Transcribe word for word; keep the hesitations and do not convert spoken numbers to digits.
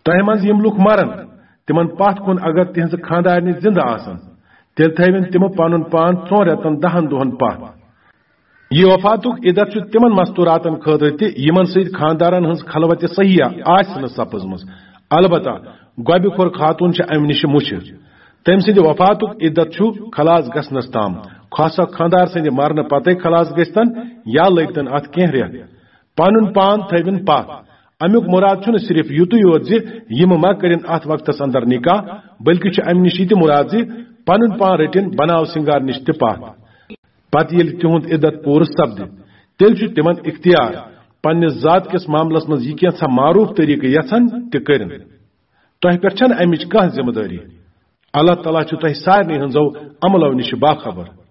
تۄہہِ منٛز یِم لُکھ مرن، تِمن پتھ کُن اگر تِہنٛزٕ خانٛدارنہِ زِندٕ آسن، تیٚلہِ تھٲوِن تِم پنُن پان ژۄن رٮ۪تن دہن دۄہن پتھ۔ یہِ وفاتُک عدت چھُ تِمن مستوراتن خٲطرٕ تہِ، یِمن سۭتۍ خانٛدارن ہٕنٛز خلوت صحیحہ آسہِ نہٕ سپٕزمٕژ۔ البتہ گۄبہِ خور خاتون چھِ امہِ نِش مُچھِ۔ تٔمۍ سٕنٛدِ وفاتُک عدت چھُ خلاص گژھنس تام، خاصا خانٛدار سٕنٛدِ مرنہٕ پتے خلاص گژھتن یا لٔگتن اتھ کینٛہہ رٮ۪تھ۔ پنُن پان تھٲوِن پتھ۔ امیُک مراد چھُنہٕ صرف یُتُے یوت زِ یِم ما کٔرِن اتھ وقتس اندر نکاح، بلکہِ چھُ امہِ نِش یہِ تہِ مراد زِ پنُن پان رٔٹِن بناو سنگار نِش تہِ پتھ۔ پتہٕ ییٚلہِ تِہُنٛد عدت پوٗرٕ سپدِ، تیٚلہِ چھُ تِمن اختیار پننِس ذات کِس معاملس منٛز یہِ کینٛژھا معروف طریقہٕ یژھن تہِ کٔرِن۔ تۄہہِ پٮ۪ٹھ چھنہٕ امِچ کانٛہہ ذمہٕ دٲری۔ اللہ تعالیٰ چھُ تۄہہِ سارنٕے ہٕنٛزو عملو نِش باخبر۔